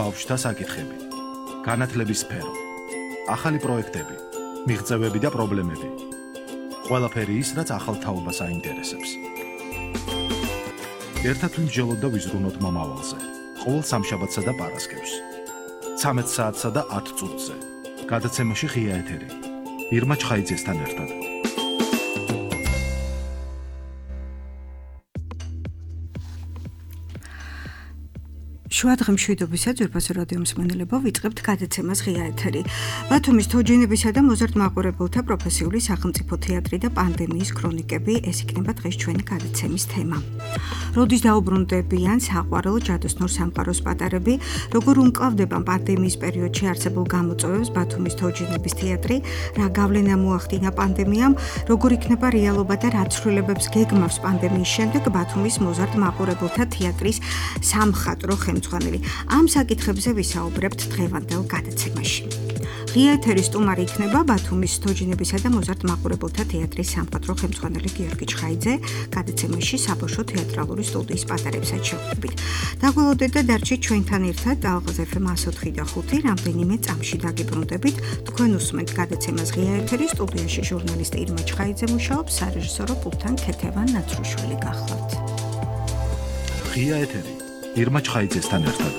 ბავშვთა საკითხები, განათლების სფერო, ახალი პროექტები, მიღწევები და პრობლემები. ყველაფერი ის, რაც ახალ თაობას აინტერესებს. ერთად ვიმსჯელოთ და ვიზრუნოთ მომავალზე. ყოველ სამშაბათსა და პარასკევს. 13 საათსა და 10 წუთზე. გადაცემაში ღია ეთერი. ირმა ჩხაიძესთან ერთად. შუადღე მშვიდობისა ძვირფასო რადიო მსმენელებო, ვიწყებთ გადაცემას ღია ეთერი. ბათუმის თოჯინებისა და მოზარდ მაყურებელთა პროფესიული სახელმწიფო თეატრი და პანდემიის ქრონიკები, ეს იქნება დღეს ჩვენი გადაცემის თემა. როდის დაუბრუნდებიან საყვარელ ჯადოსნურ სამყაროს პატარები, როგორ უმკლავდება პანდემიის პერიოდში არსებულ გამოწვევებს ბათუმის თოჯინების თეატრი, რა გავლენა მოახდინა პანდემიამ, როგორ იქნება რეალობა და რა ცვლილებებს გეგმავს პანდემიის შემდეგ ბათუმის მოზარდ მაყურებელთა თეატრის სამხატვრო ხელმძღვანელი. ამ საკითხებზე ვისაუბრებთ დღევანდელ გადაცემაში. ღია ეთერის სტუმარი იქნება ბათუმის თოჯინებისა და მოზარდ მაყურებელთა თეატრის სამხატვრო ხელმძღვანელი გიორგი ჩხაიძე. გადაცემაში საბავშვო თეატრალური სტუდიის პატარებსაც შევხვდებით. დაგველოდეთ და დარჩით ჩვენთან ერთად ალღაზ FM 104 და 5 რამდენიმე წამში დაგიბრუნდებით. თქვენ უსმენთ გადაცემას ღია ეთერის სტუდიაში ჟურნალისტი ირმა ჩხაიძე მუშაობს, სარეჟისორო პულტთან ქეთევან ნაცრუშვილი გახლავთ. ღია ეთერი ირმა ჩხაიძესთან ერთად.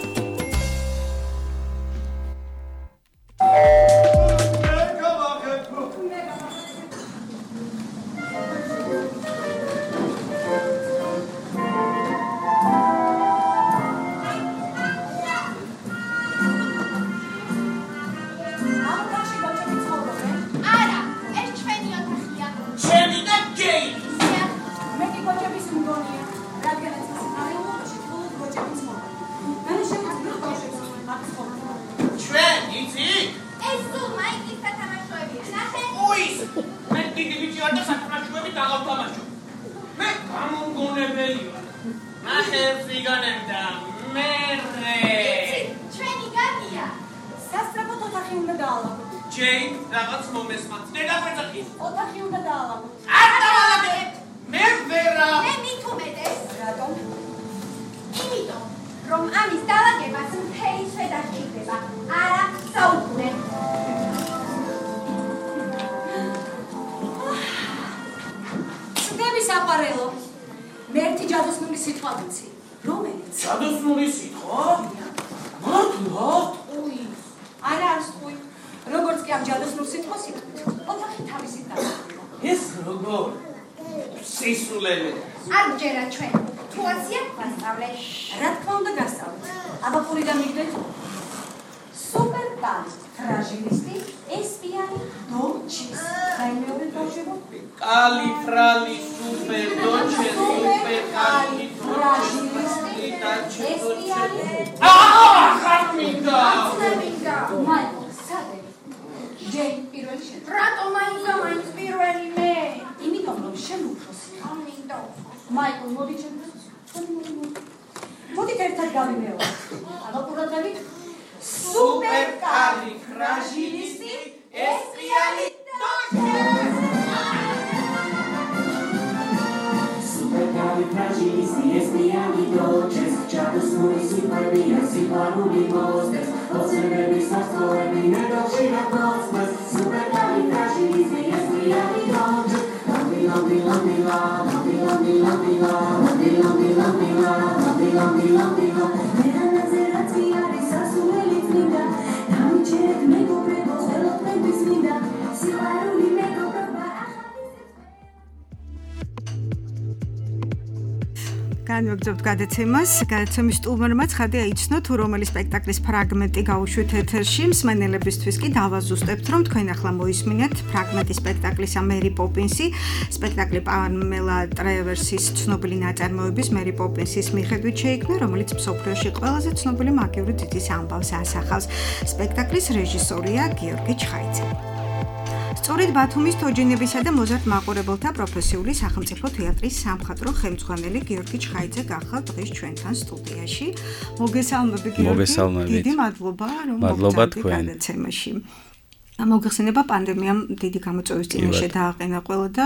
განვაგრძობთ გადაცემის სტუმარმა ცხადი აიცნო თუ რომელი სპექტაკლის ფრაგმენტი გავუშვით ეთერში. მსმენელებისთვის კი დავაზუსტებთ, რომ თქვენ ახლა მოისმინეთ ფრაგმენტი სპექტაკლის მერი პოპინსი, სპექტაკლი პამელა ტრევერსის ცნობილი ნაწარმოების მერი პოპინსის მიხედვით შეიქმნა, რომელიც მსოფლიოში ყველაზე ცნობილი მაგიური ძიძის ამბავს ასახავს. სპექტაკლის რეჟისორია გიორგი ჩხაიძე. სწორედ ბათუმის თოჯინებისა და მოზარდ მაყურებელთა პროფესიული სახელმწიფო თეატრის სამხატვრო ხელმძღვანელი გიორგი ჩხაიძე გახლავთ დღეს ჩვენთან სტუდიაში. მოგესალმებით გიორგი. დიდი მადლობა რომ მოგწევთ გადაცემაში. მოგეხსენება პანდემიამ დიდი გამოწვევის წინაშე დააყენა ყველა და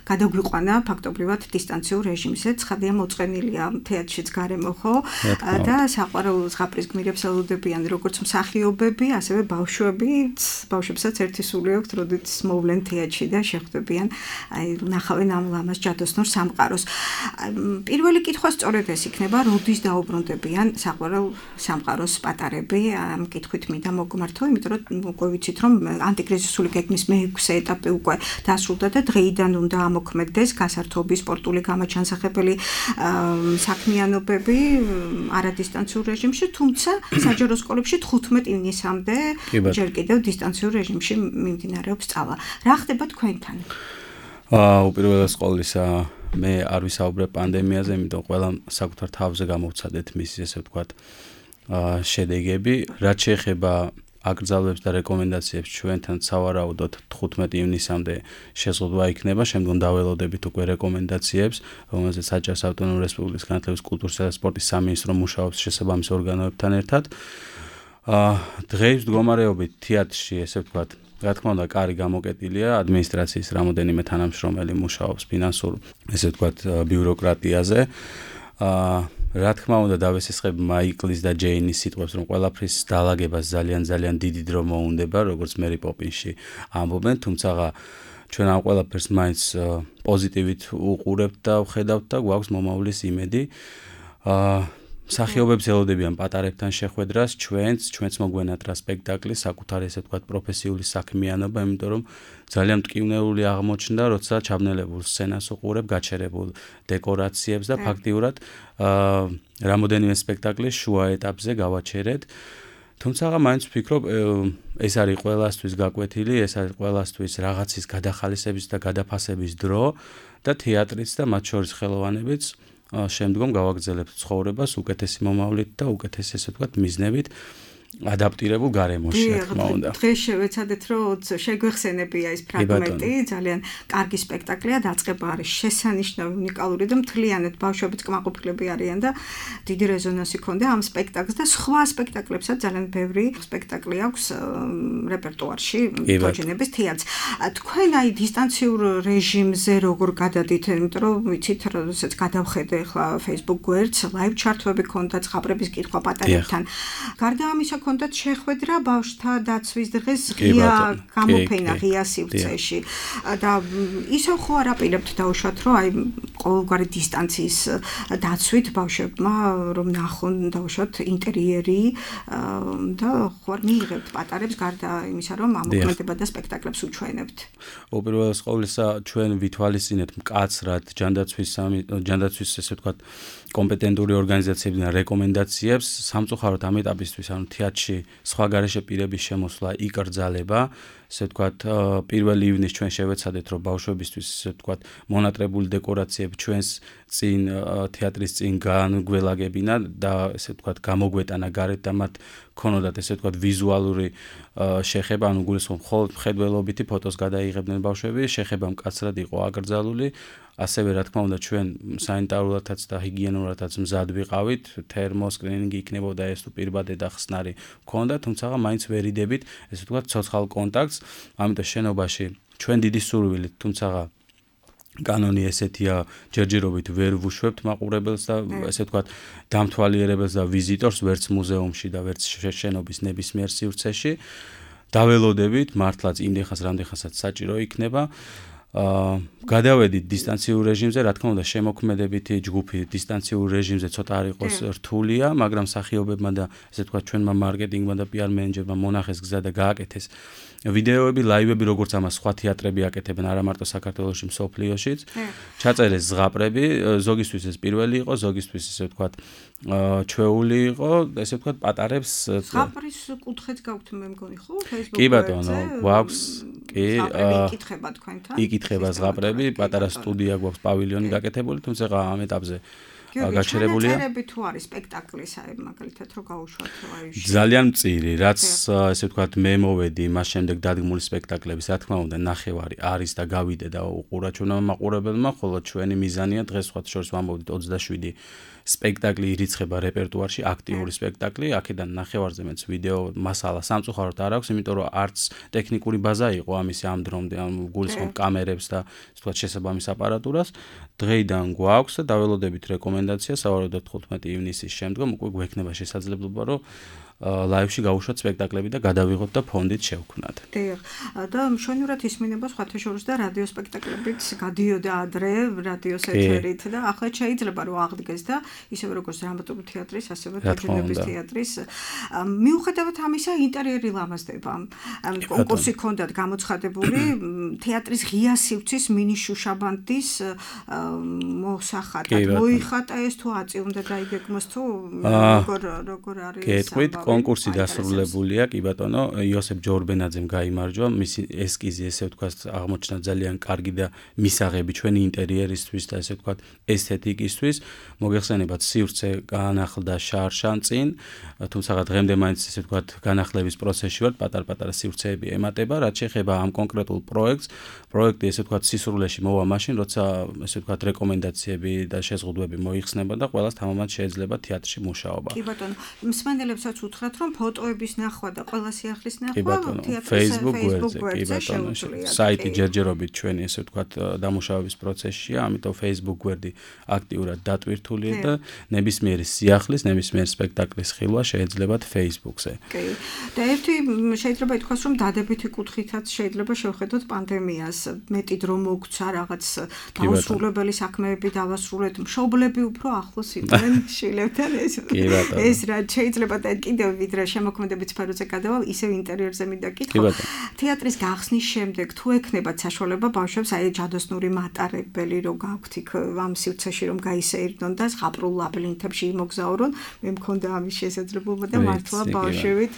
გადაგვიყვანა ფაქტობრივად დისტანციურ რეჟიმზე. ცხადია მოწყენილია თეატრშიც გარემო ხო და საყვარელ ზღაპრის გმირებს ელოდებიან როგორც მსახიობები, ასევე ბავშვებსაც ერთი სული აქვთ, როდესაც მოვლენ თეატრში და შეხვდებიან ნახავენ ამ ლამაზ ჯადოსნურ სამყაროს. პირველი კითხვა სწორედ ეს იქნება, როდის დაუბრუნდებიან საყვარელ სამყაროს პატარები. ამ კითხვით მინდა მოგმართო, იმიტომ რომ უკვე ვიცით რომ ანტიკრიზისული გეგმის მე-6 ეტაპი უკვე დასრულდა და დღეიდან უნდა ამოქმედდეს გასართობი სპორტული გამაჩანსახებელი საქმიანობები არადისტანციურ რეჟიმში, თუმცა საჯარო სკოლებში 15 ივნისამდე ჯერ კიდევ დისტანციურ რეჟიმში მიმდინარეობს სწავლა. რა ხდება თქვენთან? უპირველეს ყოვლისა მე არ ვისაუბრებ პანდემიაზე, იმიტომ ყველა საკუთარ თავზე გამოვცადეთ მის ესე ვთქვათ შედეგები, რაც შეეხება აკრძალვებს და რეკომენდაციებს ჩვენთან სავარაუდოდ 15 ივნისამდე შეზღუდვა იქნება, შემდგომ დაველოდებით უკვე რეკომენდაციებს, რომელზეც საჯარო ავტონომიური რესპუბლიკის განათლების, კულტურისა და სპორტის სამინისტრო მუშაობს შესაბამის ორგანოებთან ერთად. დღეის მდგომარეობით თეატრში ესე ვთქვათ, რა თქმა უნდა, კარი გამოკეტილია, ადმინისტრაციის რამოდენიმე თანამშრომელი მუშაობს ფინანსურ ესე ვთქვათ ბიუროკრატიაზე. რა თქმა უნდა დავესესხებ მაიკლის და ჯეინის სიტყვებს, რომ ყველაფრის დაალაგებას ძალიან დიდი დრო მოუნდება, როგორც მერი პოპინსში ამბობენ, თუმცა ჩვენ ამ ყველაფერს მაინც პოზიტივით უყურებთ და ვხედავთ და გვაქვს მომავლის იმედი. მსახიობებს ელოდებიან პატარებთან შეხვედრას, ჩვენც მოგვენათ რა სპექტაკლი, საკუთარი ესე ვთქვათ პროფესიული საქმიანობა, იმიტომ რომ ძალიან მტკივნეული აღმოჩნდა, როცა ჩაბნელებულ სცენას უყურებ, გაჩერებულ დეკორაციებს და ფაქტიურად რამოდენიმე სპექტაკლის შუა ეტაპზე გავაჩერეთ. თუმცა მაინც ვფიქრობ, ეს არის ყველასთვის გაკვეთილი, ეს არის ყველასთვის რაღაცის გადახალისების და გადაფასების დრო და თეატრიც და მათ შორის ხელოვანებიც შემდგომ გავაგრძელებთ ცხოვრებას უკეთესი მომავლით და უკეთესი ესე ვთქვათ მიზნებით ადაპტირებულ გარემოში, რა თქმა უნდა. დღეს შევეცადეთ, რომ შეგვეხსენებია ეს ფრაგმენტი, ძალიან კარგი სპექტაკლია, დაწყება არის შესანიშნავი, უნიკალური და მთლიანად ბავშვებიც კმაყოფილები არიან და დიდი რეზონანსი ჰქონდა ამ სპექტაკლს და სხვა სპექტაკლებსაც ძალიან ბევრი სპექტაკლი აქვს რეპერტუარში თოჯინების თეატრს. თქვენ აი დისტანციურ რეჟიმზე როგორ გადადით, იმიტომ რომ ვიცით, როდესაც გადავხედე ახლა Facebook გვერდს, live ჩართვები ჰქონდა, ზღაპრების კითხვა პატარებთან. გარდა ამისა კონდათ შეხვედრა ბავშვთა დაცვის დღეს ღია გამოფენა ღია სივრცეში და ისევ ხო არ აპირებთ დაუშვათ რომ აი ყოველგვარი დისტანციის დაცვით ბავშვებმა რომ ნახონ დაუშვათ ინტერიერი და ხო არ მიიღებთ პატარებს გარდა იმისა რომ ამოქმედება და სპექტაკლებს უჩვენებთ. უპირველეს ყოვლისა ჩვენ ვითვალისწინეთ მკაცრად ჯანდაცვის ესე ვთქვათ კომპეტენტური ორგანიზაციებიდან რეკომენდაციებს სამწუხაროდ ამ ეტაპისთვის ანუ თეატრში სხვა გარეშე პირების შემოსვლა იკრძალება, ესე ვთქვათ 1 ივნისს ჩვენ შევეცადეთ რომ ბავშვებისთვის ესე ვთქვათ მონატრებული დეკორაციები ჩვენს წინ თეატრის წინ განგველაგებინა და ესე ვთქვათ გამოგვეტანა გარეთ და მათ ქონოდათ ესე ვთქვათ ვიზუალური შეხება, ანუ გულისხმობ მხოლოდ მხედველობითი ფოტოს გადაიღებდნენ ბავშვები, შეხება მკაცრად იყო აკრძალული. ასევე რა თქმა უნდა ჩვენ სანიტარულადაც და ჰიგიენურადაც მზად ვიყავით, თერმოსკრინინგი იქნებოდა ეს თუ პირბადე და ხსნარი მქონდა, თუმცა მაინც ვერ იდებით ესე ვთქვათ ცოცხალ კონტაქტს, ამიტომ შენობაში ჩვენ დიდი სურვილით, თუმცა კანონი ესეთია, ჯერჯერობით ვერ ვუშვებთ მაყურებელს და ესე ვთქვათ დამთვალიერებელს და ვიზიტორს ვერც მუზეუმში და ვერც შენობის ნებისმიერ სივრცეში. დაველოდებით მართლაც იმდენხანს რამდენხანსაც საჭირო იქნება. გადავედით დისტანციურ რეჟიმზე, რა თქმა უნდა შემოქმედებითი ჯგუფი დისტანციურ რეჟიმზე ცოტა არ იყოს რთულია, მაგრამ მსახიობებმა და ესე ვთქვათ ჩვენმა მარკეტინგმა და PR მენეჯერმა მონახეს გზა და გააკეთეს ვიდეოები, ლაივები, როგორც ამას სხვა თეატრები აკეთებენ, არა მარტო საქართველოში, მსოფლიოშიც. ჩაწერეს ზღაპრები, ზოგისთვის ეს პირველი იყო, ზოგისთვის ესე ვთქვათ ჩვეული იყო, ესე ვთქვათ პატარებს ზღაპრის კუთხეც გაქვთ მე მგონი ხო Facebook-ზე? კი ბატონო, გვაქვს, კი, იკითხება თქვენთან. იკითხება ზღაპრები, პატარა სტუდია გვაქვს, პავილიონი გაკეთებული, თუმცა ამ ეტაპზე გაჩერებულია. ჩანაწერები თუ არის სპექტაკლის, აი მაგალითად რო გაუშვათ ლაივში. ძალიან მწირი, რაც ესე ვთქვათ, მე მოვედი მას შემდეგ დადგმული სპექტაკლების, რა თქმა უნდა, ნახევარი არის და გავიდე და უყურა ჩვენმა მაყურებელმა, ხოლო ჩვენი მიზანია დღეს სხვა შორის ვამბობთ 27 სპექტაკლი ირიცხება რეპერტუარში, აქტიური სპექტაკლი, აქედან ნახევარზე მეც ვიდეო მასალა სამწუხაროდ არ აქვს, იმიტომ რომ არც ტექნიკური ბაზა იყო ამისი ამ დრომდე, გულისხმობ კამერებს და ასე ვთქვათ შესაბამის აპარატურას. დღეიდან გვაქვს და დაველოდებით რეკომენდაცია, სავარაუდოდ 15 ივნისის შემდგომ უკვე გვექნება შესაძლებლობა, რომ ლაივში გავუშვათ სპექტაკლები და გადავიღოთ და ფონდით შევქმნათ. დიახ. და მშვენივრად ისმინება სხვათა შორის და რადიო სპექტაკლებიც გადიოდა ადრე რადიოს ეთერით და ახლა შეიძლება რომ აღდგეს და ისევე როგორც დრამატული თეატრის, ასევე თოჯინების თეატრის. მიუხედავად ამისა, ინტერიერი ლამაზდება. კონკურსი ჰქონდათ გამოცხადებული თეატრის ღია სივრცის მინი შუშაბანდის მოსახატად. მოიხატა ეს თუ აწიუნდა დაიგეგმოს თუ როგორ არის გეტყვით, კონკურსი დასრულებულია, კი ბატონო, იოსებ ჯორბენაძემ გაიმარჯვა, მისი ესკიზი, ესე ვთქვათ, აღმოჩნდა ძალიან კარგი და მისაღები ჩვენი ინტერიერისთვის და ესე ვთქვათ, ესთეტიკისთვის. მოგეხსენებათ, სივრცე განახლდა შარშან წინ, თუმცა დღემდე მაინც ესე ვთქვათ, განახლების პროცესში ვართ, პატარ-პატარა სივრცეები ემატება, რაც შეეხება ამ კონკრეტულ პროექტს. პროექტი ესე ვთქვათ, სისრულეში მოვა მაშინ, როცა ესე ვთქვათ, რეკომენდაციები და შეზღუდვები მოიხსნება და ყველას თამამად შეიძლება თეატრში მუშაობა. კი ბატონო, მსმენელებსაც უთხრათ, რომ ფოტოების ნახვა და ყველა სიახლის ნახვა თეატრის Facebook გვერდზე შეუძლია. საიტი ჯერჯერობით ჩვენი ესე ვთქვათ, დამუშავების პროცესშია, ამიტომ Facebook გვერდი აქტიურად დატვირთულია და ნებისმიერი სიახლის, ნებისმიერი სპექტაკლის ხილვა შეეძლებათ Facebook-ზე. კი. და ერთი შეიძლება ითქვას, რომ დადებითი კუთხითაც შეიძლება შევხედოთ პანდემიას. მეტი დრო მოგცა, რაღაც დაუსრულებელი საქმეები დავასრულეთ, მშობლები უფრო ახლოს იყვნენ შვილებთან ეს რაც შეიძლება და კიდევ ვიდრე შემოქმედებით სფეროზე გადავალ, ისევ ინტერიერზე მინდა კითხო. თეატრის გახსნის შემდეგ თუ ექნებათ საშუალება ბავშვებს აი ჯადოსნური მატარებელი რო გაქვთ იქ ამ სივრცეში რომ გაისეირნონ და ზღაპრულ ლაბირინთებში იმოგზაურონ, მე მქონდა ამის შესაძლებლობა და მართლა ბავშვებით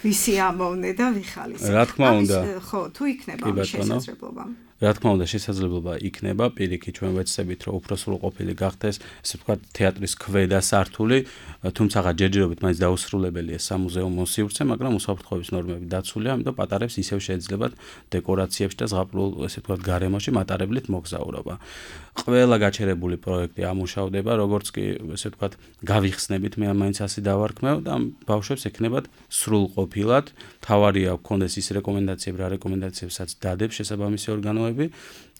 ვისი ამოვნე და ვიხალისე. რა თქმა უნდა. ხო, თუ იქნება ამის შესაძლებლობა. რა თქმა უნდა, შესაძლებლობა იქნება, პირიქით ჩვენ ვეცდებით, რომ უფრო სრულყოფილი გახდეს, ესე ვთქვათ, თეატრის ქვედა სართული, თუმცა ჯერჯერობით მაინც დაუსრულებელია სამუზეუმო სივრცე, მაგრამ უსაფრთხოების ნორმები დაცულია, ამიტომ პატარებს ისევ შეეძლებათ დეკორაციებში და ზღაპრულ, ესე ვთქვათ, გარემოში მატარებლით მოგზაურობა. ყველა გაჩერებული პროექტი ამუშავდება, როგორც კი, ესე ვთქვათ, გავიხსნებით, მე მაინც ასე დავარქმევ და ბავშვებს ექნებათ სრულყოფილად, თავარია გქონდეს ის რეკომენდაციები, რა რეკომენდაციებსაც დადებს შესაბამისი ორგანოები,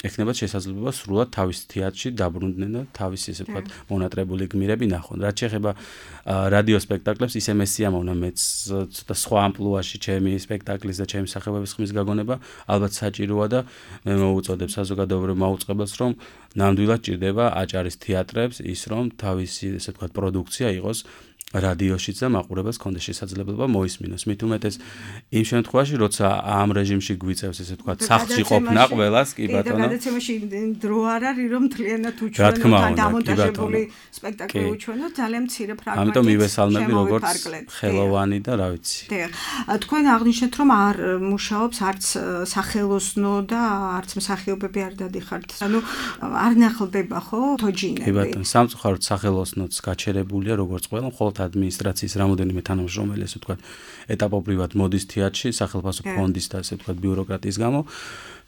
ექნებათ შესაძლებლობა სრულად თავის თეატრში დაბრუნდნენ და თავის ესე ვთქვათ მონატრებული გმირები ნახონ. რაც შეეხება რადიო სპექტაკლებს, ისე მე სიამოვნა მეც ცოტა სხვა ამპლუაში ჩემი სპექტაკლის და ჩემი სახეობების ხმის გაგონება, ალბათ საჭიროა და მე მოუწოდებ საზოგადოებრივ მაუწყებელს, რომ ნამდვილად ჭირდება აჭარის თეატრებს ის, რომ თავისი ესე ვთქვათ პროდუქცია იყოს რადიოშიც და მაყურებელს ქონდეს შესაძლებლობა მოისმინოს. მით უმეტეს იმ შემთხვევაში, როცა ამ რეჟიმში გვიწევს ესე ვთქვათ, სახლში ყოფნა ყველას, კი ბატონო. და გადაცემაში დრო არ არის, რომ მთლიანად უჩვენოთ ან დამონტაჟებული სპექტაკლი უჩვენოთ, ძალიან მცირე ფრაგმენტი. ამიტომ მივესალმები როგორც ხელოვანი და რა ვიცი. თქვენ აღნიშნეთ, რომ არ მუშაობს არც სახელოსნო და არც მსახიობები არ დადიხართ. ანუ არ ნახლდება ხო თოჯინები. კი ბატონო, სამწუხაროდ სახელოსნოც გაჩერებულია როგორც ყველა, მხოლოდ ადმინისტრაციის რამოდენიმე თანამშრომელი, ესე ვთქვათ, ეტაპობრივად მოდის თეატრში სახელმწიფო ფონდის და ესე ვთქვათ ბიუროკრატიის გამო.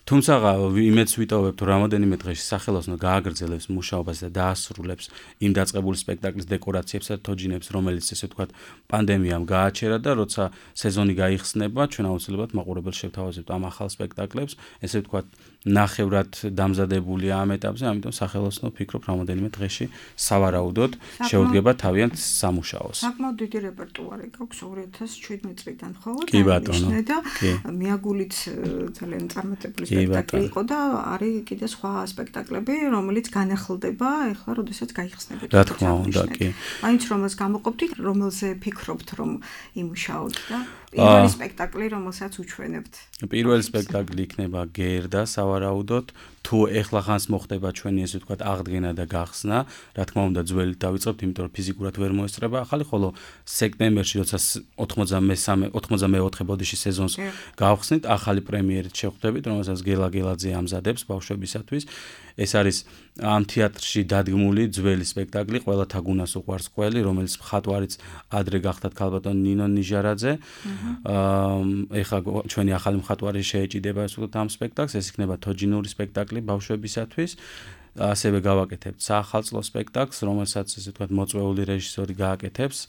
თუმცა იმეც ვიტოვებთ, რომ რამოდენიმე დღეში სახელოსნო გააგრძელებს მუშაობას და დაასრულებს იმ დაწყებული სპექტაკლის დეკორაციებს და თოჯინებს, რომელიც ესე ვთქვათ პანდემიამ გააჩერა და როცა სეზონი გაიხსნება, ჩვენ აუცილებლად მაყურებელს შევთავაზებთ ამ ახალ სპექტაკლებს, ესე ვთქვათ ნახევრად დამზადებულია ამ ეტაპზე, ამიტომ სახელოსნო ვფიქრობ რამოდენიმე დღეში სავარაუდოდ შეუდგება თავიანთ სამუშაოს. საკმაოდ დიდი რეპერტუარი გაქვს 2017 წლიდან, ხო? კი ბატონო. და მიაგულით ძალიან წარმატებული სპექტაკლი იყო და არის კიდე სხვა სპექტაკლები, რომელიც განახლდება, ეხლა როდესაც გაიხსნებათ. რა თქმა უნდა, კი. მაინც რომელს გამოყოფთ, რომელზე ფიქრობთ, რომ იმუშაოთ და პირველი სპექტაკლი, რომელსაც უჩვენებთ. პირველი სპექტაკლი იქნება გერდა, სავარაუდოდ თუ ეხლა ხანს მოხდება ჩვენი ესე ვთქვათ აღდგენა და გახსნა, რა თქმა უნდა ძველით დავიწყებთ, იმიტომ რომ ფიზიკურად ვერ მოესწრება ახალი, ხოლო სექტემბერში როცა 94 ბოდიში სეზონს გავხსნით, ახალი პრემიერით შევხვდებით, რომელსაც გელა გელაძე ამზადებს ბავშვებისათვის. ეს არის ამ თეატრში დადგმული ძველი სპექტაკლი, ყველათა გუნას უყვარს ყველი, რომელიც მხატვარიც ადრე გახდათ ქალბატონ ნინო ნიჟარაძე. ეხლა ჩვენი ახალი მხატვარი შეეჭიდება ამ სპექტაკლს, ეს იქნება თოჯინური სპექტაკლი ბავშვებისათვის. ასევე გავაკეთებთ საახალწლო სპექტაკლს, რომელსაც ესე ვთქვათ მოწვეული რეჟისორი გააკეთებს.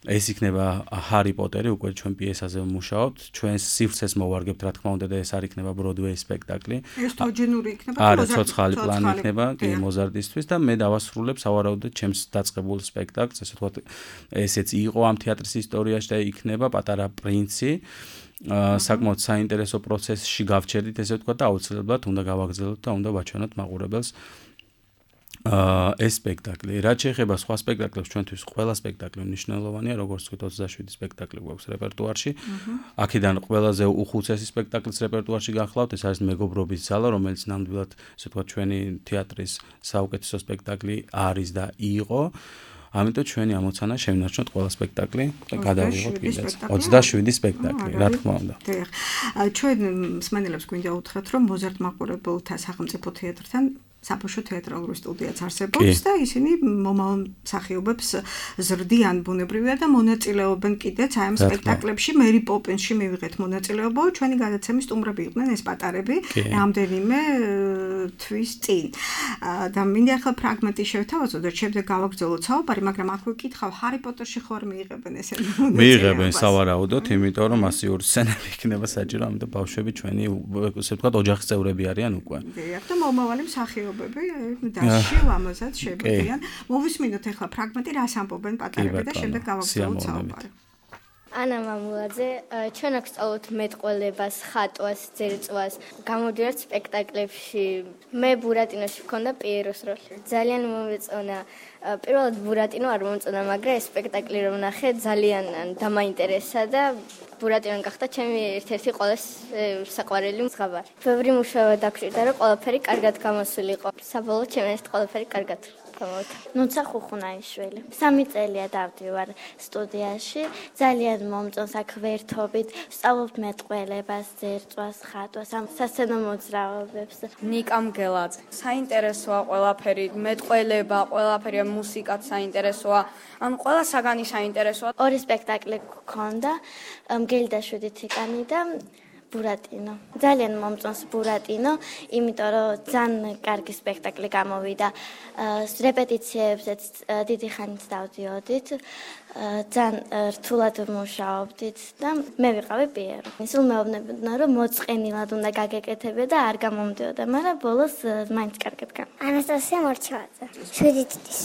ეს იქნება ჰარი პოტერი, უკვე ჩვენ პიესაზე ვმუშაობთ, ჩვენს სივრცეს მოვარგებთ, რა თქმა უნდა და ეს არ იქნება ბროდვეის სპექტაკლი. ეს თოჯინური იქნება, არა, ცოცხალი პლანი იქნება, კი, მოზარდისთვის და მე დავასრულებ სავარაუდოდ ჩემს დაწყებულ სპექტაკლს, ესე ვთქვათ, ესეც იყო ამ თეატრის ისტორიაში და იქნება პატარა პრინცი. საკმაოდ საინტერესო პროცესში გავჩერდით, ესე ვთქვათ, და აუცილებლად უნდა გავაგრძელოთ და უნდა ვაჩვენოთ მაყურებელს ეს სპექტაკლი. რაც შეეხება სხვა სპექტაკლებს, ჩვენთვის ყველა სპექტაკლი მნიშვნელოვანია, როგორც ვთქვით, 27 სპექტაკლი გვაქვს რეპერტუარში. აქედან ყველაზე უხუცესი სპექტაკლის რეპერტუარში გახლავთ, ეს არის მეგობრობის ზალა, რომელიც ნამდვილად, ესე ვთქვათ, ჩვენი თეატრის საუკეთესო სპექტაკლი არის და იყო. ამიტომ ჩვენი ამოცანა შევინარჩუნოთ ყველა სპექტაკლი და გადავიღოთ კიდეც 27 სპექტაკლი, რა თქმა უნდა. დიახ. ჩვენ მსმენელებს გვინდა უთხრათ, რომ მოზარდ მაყურებელთა სახელმწიფო თეატრთან საბავშვო თეატრალური სტუდიაც არსებობს და ისინი მომავალ მსახიობებს ზრდიან ბუნებრივია და მონაწილეობენ კიდეც აი ამ სპექტაკლებში. მერი პოპინსში მივიღეთ მონაწილეობა, ჩვენი გადაცემის სტუმრები იყვნენ ეს პატარები რამდენიმე თვის წინ. და მინდა ახლა ფრაგმენტი შევთავაზოთ და შემდეგ გავაგრძელოთ საუბარი, მაგრამ აქ ვიკითხავ, ჰარი პოტერში ხوار მიიღებენ ესე მონაწილეობას? მიიღებენ სავარაუდოდ, იმიტომ რომ მასიური სცენები იქნება საჭირო, ამიტომ ბავშვები ჩვენი, ესე ვთქვათ, ოჯახის წევრები არიან უკვე. დიახ, და მომავალი მსახიობები დასში ამასაც შეგვიძლიან. მოვისმინოთ ახლა ფრაგმენტი, რას ამბობენ პატარები და შემდეგ გავაგრძელოთ საუბარი. ანა მამულაძე, ჩვენ აქ სწავლობთ მეტყველებას, ხატვას, ძერწვას, გამოდიართ სპექტაკლებში. მე ბურატინოში ვქონდა პიეროს როლი. ძალიან მომეწონა. პირველად ბურატინო არ მომწონა, მაგრამ ეს სპექტაკლი რომ ნახე, ძალიან დამაინტერესა და ბურატინო გახდა ჩემი ერთ-ერთი ყველაზე საყვარელი მსხაბარი. ბევრი მუშაობა დაგჭირდა, რომ ყველაფერი კარგად გამოსულიყო. საბოლოოდ ჩემს ეს ყველაფერი კარგად გამოვიდა. ნუცა ხუხუნაიშვილი. 3 წელია დავდივარ სტუდიაში. ძალიან მომწონს აქ ვერთობით, ვსწავლობთ მეტყველებას, ძერწვას, ხატვას, ამ სასცენო მოძრაობებს. ნიკამ გელაძე. საინტერესოა ყველაფერი, მეტყველება, ყველაფერი, მუსიკაც საინტერესოა. ამ ყველა საგანი საინტერესოა. 2 სპექტაკლი გქონდა, მგელი და 7 თიკანი და ბურატინო. ძალიან მომწონს ბურატინო, იმიტომ რომ ძალიან კარგი სპექტაკლი გამოვიდა. რეპეტიციებზეც დიდი ხანით დავდიოდით. ძალიან რთულად ვმუშაობდით და მე ვიყავი პიერო. სულ მეუბნებოდნენ, რომ მოწყენილად უნდა გაგეკეთებე და არ გამომდიოდა, მაგრამ ბოლოს მაინც კარგად გამა. ანასტასია მორჩევაძე. 7 წლის.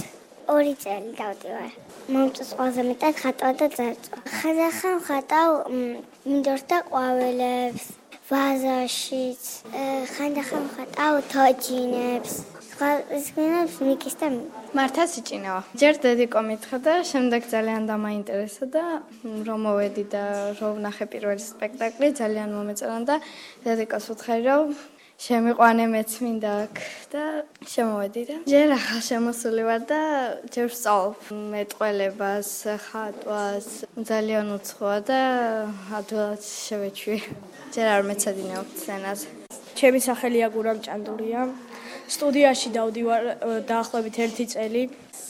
2 წელი დავდივარ. მომწონს ყველაზე მეტად ხატვა და ძერწვა. ხანდახან ხატავ მინდორს და ყვავილებს, ვაზაშიც, ხანდახან ხატავ თოჯინებს. სხვაებს მიკის და მართა სიჭინავა. ჯერ დედიკო მითხრა და შემდეგ ძალიან დამაინტერესა და რომ მოვედი და რომ ვნახე პირველი სპექტაკლი, ძალიან მომეწონა და დედიკოს ვუთხარი, რომ შემიყვანე მეც მინდა აქ და შემოვედი და ჯერ ახალ შემოსული ვარ და ჯერ ვსწავლობ მეტყველებას, ხატვას, ძალიან უცხოა და ადვილად შევეჩვი. ჯერ არ მეცადინეობ სცენაზე. ჩემი სახელია გურამ ჭანდურია. სტუდიაში დავდივარ დაახლოებით 1 წელი.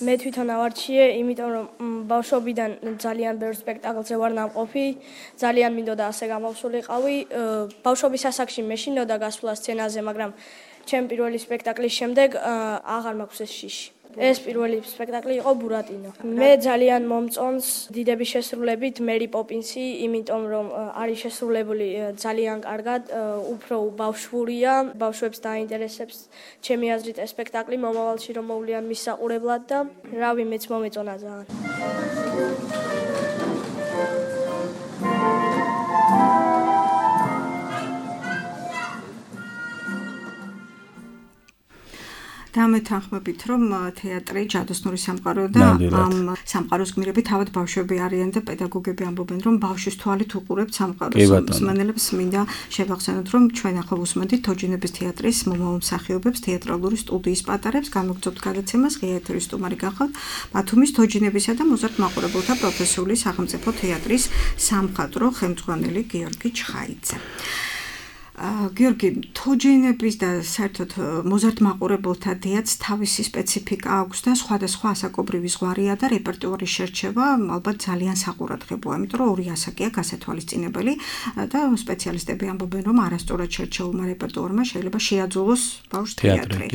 მე თვითონ ავარჩიე, იმიტომ რომ ბავშვობიდან ძალიან ბევრ სპექტაკლზე ვარ ნამყოფი, ძალიან მინდოდა ასე გამოვსულიყავი. ბავშვობის ასაკში მეშინოდა გასვლა სცენაზე, მაგრამ ჩემ პირველი სპექტაკლის შემდეგ აღარ მაქვს ეს შიში. ეს პირველი სპექტაკლი იყო ბურატინო. მე ძალიან მომწონს დიდების შესრულებით მერი პოპინსი, იმიტომ რომ არის შესრულებული ძალიან კარგად, უფრო ბავშვურია, ბავშვებს დაინტერესებს ჩემი აზრით ეს სპექტაკლი, მომავალში რომ მოვლიან მის საყურებლად და რავი, მეც მომეწონა ძალიან. და გამეთანხმებით, რომ თეატრი ჯადოსნური სამყარო და ამ სამყაროს გმირები თავად ბავშვები არიან და პედაგოგები ამბობენ, რომ ბავშვის თვალით უყურებთ სამყაროს. მსმენელებს მინდა შევახსენოთ, რომ ჩვენ ახლა უსმენთ თოჯინების თეატრის მომავალ მსახიობებს, თეატრალური სტუდიის პატარებს, გამოგწევთ გადაცემას, ღია ეთერის სტუმარი გახავთ ბათუმის თოჯინებისა და მოზარდ მაყურებელთა პროფესიული სახელმწიფო თეატრის სამხატვრო ხელმძღვანელი გიორგი ჩხაიძე. გიორგი, თოჯინების და საერთოდ მოზარდ მაყურებელთა თეატრს თავისი სპეციფიკა აქვს და სხვადასხვა ასაკობრივი ზღვარია და რეპერტუარის შერჩევა ალბათ ძალიან საყურადღებოა, იმიტომ რომ ორი ასაკია გასათვალისწინებელი და სპეციალისტები ამბობენ, რომ არასწორად შერჩეულმა რეპერტუარმა შეიძლება შეაძულოს ბავშვს თეატრი.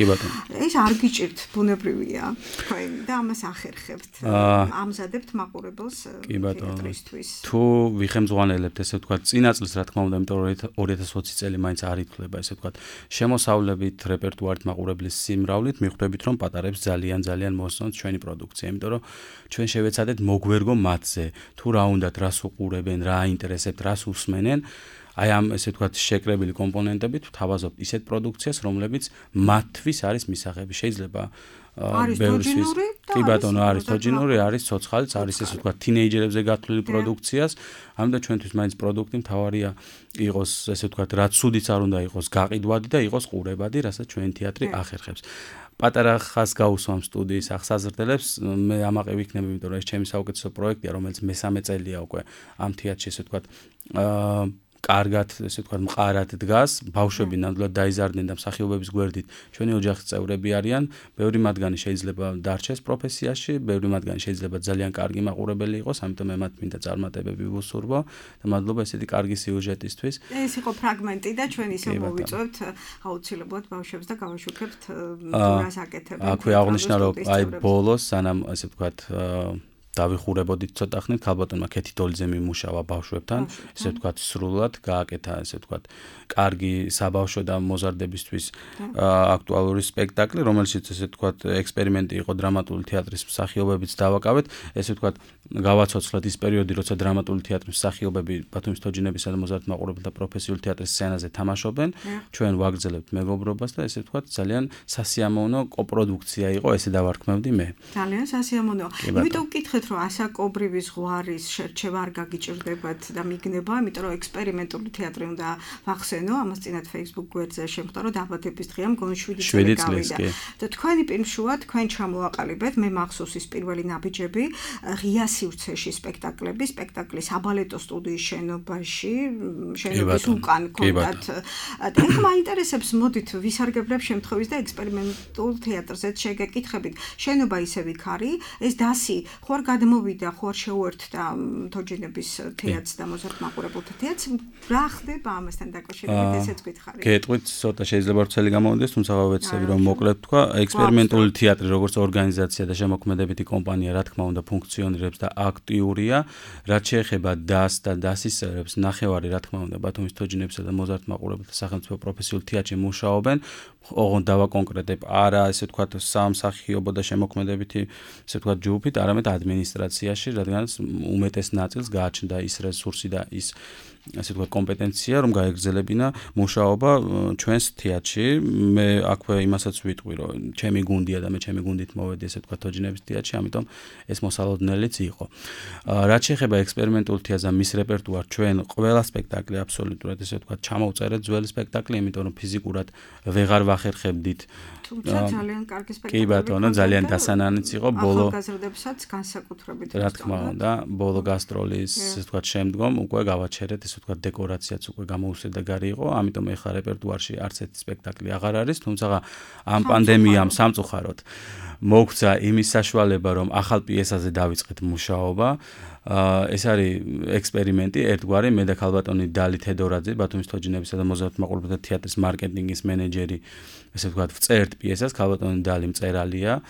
ეს არ გიჭირთ, ბუნებრივია, თქვენ და ამას ახერხებთ. ამზადებთ მაყურებელს თეატრისთვის. თუ ვიხემძღვანელებთ, ესე ვთქვათ, წინა წელს, რა თქმა უნდა, იმიტომ რომ 2020 წელი მაინც არ ითვლება, ესე ვთქვათ, შემოსავლებით, რეპერტუარით, მაყურებლის სიმრავლით, მიხვდებით, რომ პატარებს ძალიან მოსწონთ ჩვენი პროდუქცია, იმიტომ რომ ჩვენ შევეცადეთ მოგვერგო მათზე, თუ რა უნდათ, რას უყურებენ, რა აინტერესებთ, რას უსმენენ, აი ამ ესე ვთქვათ, შეკრებილი კომპონენტებით ვთავაზობთ ისეთ პროდუქციას, რომლებიც მათთვის არის მისაღები. შეიძლება არის თოჯინური კი ბატონო, არის თოჯინური, არის ცოცხალიც, არის ესე ვთქვათ, თინეიჯერებზე გათვლილი პროდუქციას. ამიტომ ჩვენთვის მაინც პროდუქტი მთავარია იყოს, ესე ვთქვათ, რაც სუდიც არ უნდა იყოს, გაყიდვადი და იყოს ყურებადი, რასაც ჩვენი თეატრი ახერხებს. პატარა ხას გავუსვამ სტუდიის აღსაზრდელებს, მე ამაყი ვიქნები, იმიტომ რომ ეს ჩემი საუკეთესო პროექტია, რომელიც მესამე წელია უკვე ამ თეატრში, ესე ვთქვათ, კარგად, ესე ვთქვათ, მყარად დგას, ბავშვები ნამდვილად დაიზარდნენ და მსახიობების გვერდით ჩვენი ოჯახის წევრები არიან, ბევრი მათგანი შეიძლება დარჩეს პროფესიაში, ბევრი მათგანი შეიძლება ძალიან კარგი მაყურებელი იყოს, ამიტომ მე მათ მინდა წარმატებები ვუსურვო და მადლობა ესეთი კარგი სიუჟეტისთვის. ეს იყო ფრაგმენტი და ჩვენ ისე მოვიწევთ აუცილებლად ბავშვებს და გავაშუქებთ რას აკეთებენ. აქვე აღნიშნა, რომ აი ბოლოს, სანამ ესე ვთქვათ, დავიხურებოდით ცოტა ხნით, ქალბატონმა ქეთი დოლიძე მიმუშავა ბავშვებთან, ესე ვთქვათ, სრულად გააკეთა, ესე ვთქვათ, კარგი საბავშვო და მოზარდებისთვის აქტუალური სპექტაკლი, რომელშიც ესე ვთქვათ, ექსპერიმენტი იყო დრამატული თეატრის მსახიობებიც დავაკავეთ, ესე ვთქვათ, გავაცოცხლეთ ის პერიოდი, როცა დრამატული თეატრის მსახიობები ბათუმის თოჯინებისა და მოზარდ მაყურებელთა პროფესიული თეატრის სცენაზე თამაშობენ, ჩვენ ვაგრძელებთ მეგობრობას და ესე ვთქვათ, ძალიან სასიამოვნო კოპროდუქცია იყო, ესე დავარქმევდი მე. ძალიან სასიამოვნოა. იმიტომ ვკითხეთ, რომ ასაკობრივი ზღვარის შერჩევა არ გაგიჭირდებათ და მიგნება, იმიტომ რომ ექსპერიმენტული თეატრი უნდა ვახსენო, ამას წინათ Facebook გვერდზე შემხვდა, რომ დაბადების დღეა მგონი 7 წელი გავიდა. და თქვენი პირმშუა, თქვენ ჩამოაყალიბეთ, მე მახსოვს ის პირველი ნაბიჯები, ღია სივრცეში სპექტაკლები, სპექტაკლის აბალეტო სტუდიის შენობაში, შენობის უკან კონტაქტ. და ეხლა მაინტერესებს, მოდით ვისარგებლებ შემთხვევის და ექსპერიმენტულ თეატრზეც შეგეკითხებით. შენობა ისე იქ არის, ეს დასი ხო არ გადმოვიდა, ხო არ შეუერთდა თოჯინების თეატრს და მოზარდ მაყურებელთა თეატრს, რა ხდება ამასთან დაკავშირებით, ესეც გითხარით. გეტყვით, ცოტა შეიძლება რთელი გამოვიდეს, თუმცა ვეცდები რომ მოკლედ თქვა, ექსპერიმენტული თეატრი როგორც ორგანიზაცია და შემოქმედებითი კომპანია, რა თქმა უნდა, ფუნქციონირებს და აქტიურია, რაც შეეხება დას და დასის წევრებს, ნახევარი, რა თქმა უნდა, ბათუმის თოჯინებისა და მოზარდ მაყურებელთა სახელმწიფო პროფესიულ თეატრში მუშაობენ, ოღონდ დავაკონკრეტებ, არა, ესე ვთქვათ, სამსახიობო და შემოქმედებითი, ესე ვთქვათ, ჯგუფით, არამედ ადმინისტრაციაში, რადგანაც უმეტეს ნაწილს გააჩნდა ის რესურსი და ის ასე ვთქვათ, კომპეტენცია, რომ გაეგრძელებინა მუშაობა ჩვენს თეატრში. მე აქვე იმასაც ვიტყვი, რომ ჩემი გუნდია და მე ჩემი გუნდით მოვედი, ასე ვთქვათ, თოჯინების თეატრში, ამიტომ ეს მოსალოდნელიც იყო. რაც შეეხება ექსპერიმენტულ თეატრს და მის რეპერტუარს, ჩვენ ყველა სპექტაკლი აბსოლუტურად, ასე ვთქვათ, ჩამოვწერეთ ძველი სპექტაკლი, იმიტომ რომ ფიზიკურად ვეღარ ვახერხებდით. თუმცა ძალიან კარგი სპექტაკლი. კი ბატონო, ძალიან დასანანიც იყო ბოლო. ახალგაზრდებსაც განსაკუთრებით. რა თქმა უნდა, ბოლო გასტროლის, ასე ვთქვათ, შემდგომ უკვე გავაჩერეთ, ასე ვთქვათ, დეკორაციაც უკვე გამოუსადეგარი იყო, ამიტომ ეხლა რეპერტუარში არც ერთი სპექტაკლი აღარ არის, თუმცა ამ პანდემიამ სამწუხაროდ მოგვცა იმის საშუალება, რომ ახალ პიესაზე დავიწყეთ მუშაობა. ეს არის ექსპერიმენტი, ერთგვარი, მე და ქალბატონი დალი თედორაძე, ბათუმის თოჯინებისა და მოზარდ მაყურებელთა თეატრის მარკეტინგის მენეჯერი, ესე ვთქვათ, ვწერთ პიესას, ქალბატონი დალი მწერალია.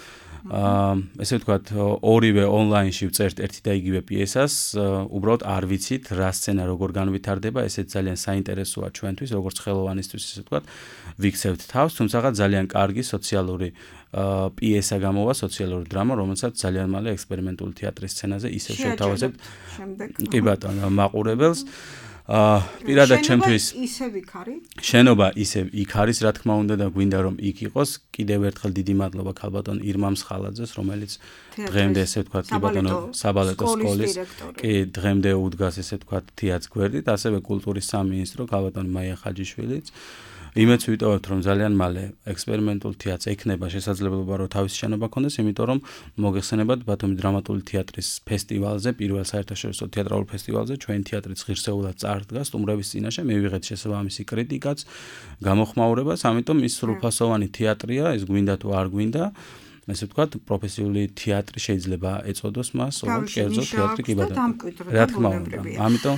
ესე ვთქვათ, ორივე ონლაინში ვწერთ ერთი და იგივე პიესას, უბრალოდ არ ვიცით რა სცენა როგორ განვითარდება, ესეც ძალიან საინტერესოა ჩვენთვის, როგორც ხელოვანისთვის, ესე ვთქვათ, ვიქცევთ თავს, თუმცა ძალიან კარგი სოციალური პიესა გამოვა, სოციალური დრამა, რომელსაც ძალიან მალე ექსპერიმენტული თეატრის სცენაზე ისევ შევთავაზებთ. კი ბატონო, მაყურებელს. პირადად ჩემთვის ისევ იქ არის? შენობა ისევ იქ არის, რა თქმა უნდა და გვინდა რომ იქ იყოს. კიდევ ერთხელ დიდი მადლობა ქალბატონ ირმა მსხალაძეს, რომელიც დღემდე ესე ვთქვათ, კი ბატონო, საბალეტო სკოლის კი დღემდე უდგას ესე ვთქვათ თეატრ გვერდით, ასევე კულტურის სამინისტრო ქალბატონი მაია ხაჯიშვილიც. იმეც ვიტოვებთ რომ ძალიან მალე ექსპერიმენტულ თეატრს ექნება შესაძლებლობა რომ თავისი შენობა ქონდეს, იმიტომ რომ მოგეხსენებათ ბათუმის დრამატული თეატრის ფესტივალზე, პირველ საერთაშორისო თეატრალურ ფესტივალზე ჩვენი თეატრიც ღირსეულად წარდგა სტუმრების წინაშე, მივიღეთ შესაბამისი კრიტიკაც, გამოხმაურებას, ამიტომ ის სრულფასოვანი თეატრია, ეს გვინდა თუ არ გვინდა. ესე ვთქვათ, პროფესიული თეატრი შეიძლება ეწოდოს მას, ოღონდ კერძო თეატრი კი ბატონო. რა თქმა უნდა. ამიტომ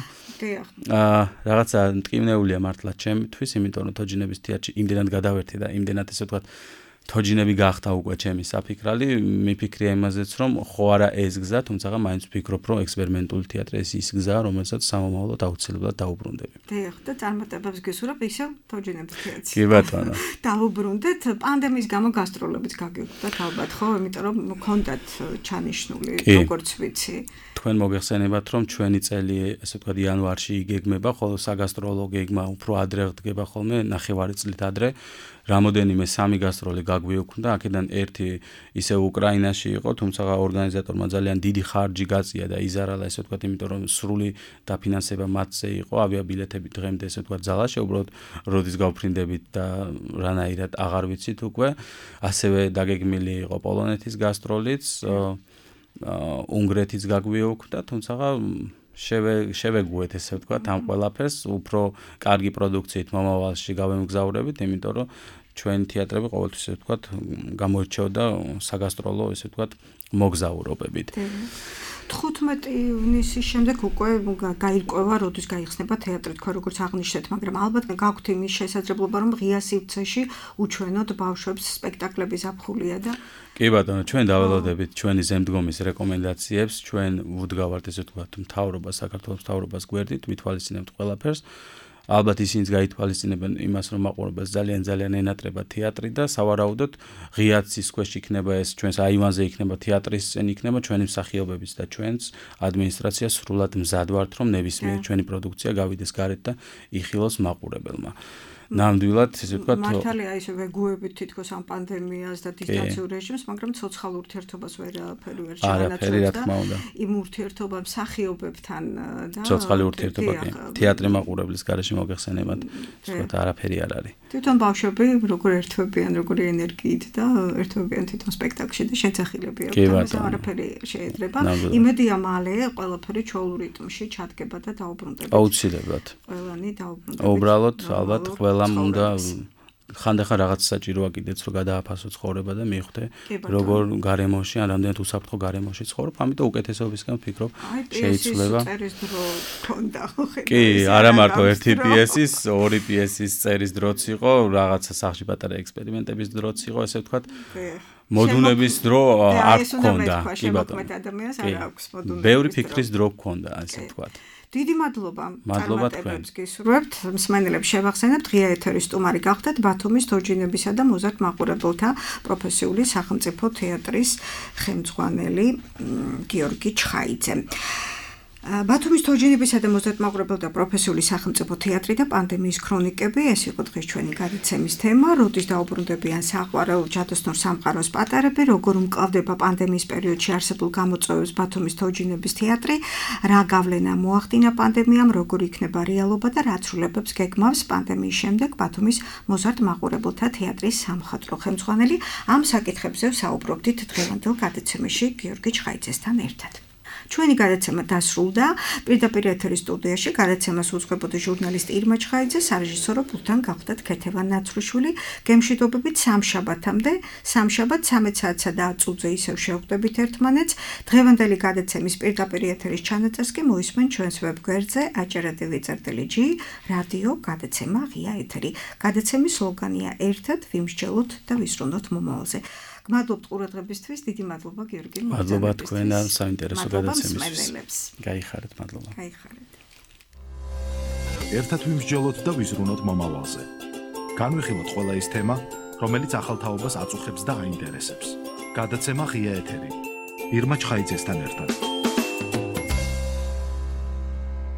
რაღაცა მტკივნეულია მართლა ჩემთვის, იმიტომ რომ თოჯინების თეატრში იმდენად გადავერთე და იმდენად ესე ვთქვათ თოჯინები გახდა უკვე ჩემი საფიქრალი, მიფიქრია იმაზეც რომ ხო არა ეს გზა, თუმცა მაინც ვფიქრობ რომ ექსპერიმენტული თეატრი ეს ის გზა, რომელსაც სამომავლოდ აუცილებლად დაუბრუნდები. დიახ, და წარმატებებს გისურვებ ისევ თოჯინების თეატრში. კი ბატონო. დაუბრუნდეთ, პანდემიის გამო გასტროლებიც გაგიგვდათ ალბათ, ხო? იმიტომ რომ მქონდათ ჩანიშნული, როგორც ვიცი. თქვენ მოგეხსენებათ რომ ჩვენი წელი ესე ვთქვათ იანვარში იგეგმება, ხოლო საგასტროლო გეგმა უფრო ადრე ხდება ხოლმე, ნახევარი წლით ადრე. რამოდენიმე სამი გასტროლი გაგვიოქმდა, აქედან ერთი ისე უკრაინაში იყო, თუმცა ორგანიზატორმა ძალიან დიდი ხარჯი გაწია და იზარალა, ესე ვთქვათ, იმიტომ რომ სრული დაფინანსება მათზე იყო, ავიაბილეთები დღემდე ესე ვთქვათ ძალაში, უბრალოდ როდის გავფრინდებით და რანაირად აღარ ვიცით უკვე. ასევე დაგეგმილი იყო პოლონეთის გასტროლიც, უნგრეთის გაგვიოქმდა, თუმცა შევეგუეთ ესე ვთქვათ ამ ყველაფერს, უფრო კარგი პროდუქციით მომავალში გავემგზავრებით, იმიტომ რომ ჩვენი თეატრები ყოველთვის ესე ვთქვათ გამოირჩეოდა საგასტროლო ესე ვთქვათ მოგზაურობებით. 15 ივნისის შემდეგ უკვე გაირკვევა, როდის გაიხსნება თეატრი, თქვა როგორც აღნიშნეთ, მაგრამ ალბათ გაქვთ იმის შესაძლებლობა, რომ ღია სივრცეში უჩვენოთ ბავშვებს სპექტაკლები ზაფხულია და კი ბატონო, ჩვენ დაველოდებით ჩვენი ზემდგომის რეკომენდაციებს, ჩვენ ვუდგავართ ესე ვთქვათ მთავრობას, საქართველოს მთავრობას გვერდით, ვითვალისწინებთ ყველაფერს. ალბათ ისინიც გაითვალისწინებენ იმას, რომ მაყურებელს ძალიან ენატრება თეატრი და სავარაუდოდ ღიად სისქვეში იქნება ეს ჩვენს აივანზე იქნება თეატრის სცენი იქნება ჩვენი მსახიობების და ჩვენს ადმინისტრაცია სრულად მზად ვართ, რომ ნებისმიერ ჩვენი პროდუქცია გავიდეს გარეთ და იხილოს მაყურებელმა. ნამდვილად ესე ვთქვათ მართალია ისე ვეგუებით თითქოს ამ პანდემიას და დისტანციურ რეჟიმს, მაგრამ ცოცხალ ურთიერთობას ვერაფერი ვერ ჩაანაცვლებს და იმ ურთიერთობა მსახიობებთან და ცოცხალი ურთიერთობა კი თეატრი მაყურებლის გარეშე მოგეხსენებათ, ვთქვათ არაფერი არ არის. თვითონ ბავშვები როგორ ერთვებიან, როგორი ენერგიით და ერთვებიან თვითონ სპექტაკლში და შეძახილები აქვს, არაფერი შეედრება. იმედია მალე ყველაფერი ჩვეულ რიტმში ჩადგება და დაუბრუნდება. აუცილებლად. ყველანი დაუბრუნდება. უბრალოდ ალბათ უნდა ხანდახან რაღაც საჭიროა კიდეც რომ გადააფასო ცხოვრება და მიხვდე როგორ გარემოში ან რამდენად უსაფრთხო გარემოში ცხოვრობ, ამიტომ უკეთესობისგან ვფიქრობ შეიცვლება. კი, არა მარტო ერთი პიესის, ორი პიესის წერის დროც იყო, რაღაცა სახში პატარა ექსპერიმენტების დროც იყო, ესე ვთქვათ. მოდუნების დრო არ გქონდა, კი ბატონო. ბევრი ფიქრის დრო გქონდა, ასე ვთქვათ. დიდი მადლობა. მადლობა თქვენს გისურვებთ. მსმენელებს შევახსენებთ, ღია ეთერის სტუმარი გახდათ ბათუმის თოჯინებისა და მოზარდ მაყურებელთა პროფესიული სახელმწიფო თეატრის ხელმძღვანელი გიორგი ჩხაიძე. ბათუმის თოჯინებისა და მოზარდ მაყურებელთა პროფესიული სახელმწიფო თეატრი და პანდემიის ქრონიკები, ეს იყო დღეს ჩვენი გადაცემის თემა, როდის დაუბრუნდებიან საყვარელ ჯადოსნურ სამყაროს პატარები, როგორ უმკლავდება პანდემიის პერიოდში არსებულ გამოწვევებს ბათუმის თოჯინების თეატრი, რა გავლენა მოახდინა პანდემიამ, როგორ იქნება რეალობა და რა ცვლილებებს გეგმავს პანდემიის შემდეგ ბათუმის მოზარდ მაყურებელთა თეატრის სამხატვრო ხელმძღვანელი. ამ საკითხებზე ვსაუბრობდით დღევანდელ გადაცემაში გიორგი ჩხაიძესთან ერთად. ჩვენი გადაცემა დასრულდა. პირდაპირ ეთერის სტუდიაში გადაცემას უძღვებოდა ჟურნალისტი ირმა ჩხაიძე, სარეჟისორო პულტთან გახდათ ქეთევან ნაცრუშვილი. გემშვიდობებით სამშაბათამდე, სამშაბათ 13 საათსა და 10 წუთზე ისევ შევხვდებით ერთმანეთს. დღევანდელი გადაცემის პირდაპირ ეთერის ჩანაწერს კი მოისმენ ჩვენს ვებგვერდზე aჯერადევი.g რადიო გადაცემა ღია ეთერი. გადაცემის სლოგანია ერთად ვიმსჯელოთ და ვისრუნოთ მომავალზე. გმადლობთ ყურადღებისთვის, დიდი მადლობა გიორგი. მადლობა თქვენ ამ საინტერესო გადაცემისთვის. გაიხარეთ, მადლობა. გაიხარეთ. ერთად ვიმსჯელოთ და ვიზრუნოთ მომავალზე. განვიხილოთ ყველა ის თემა, რომელიც ახალ თაობას აწუხებს და აინტერესებს. გადაცემა ღია ეთერი. ირმა ჩხაიძესთან ერთად.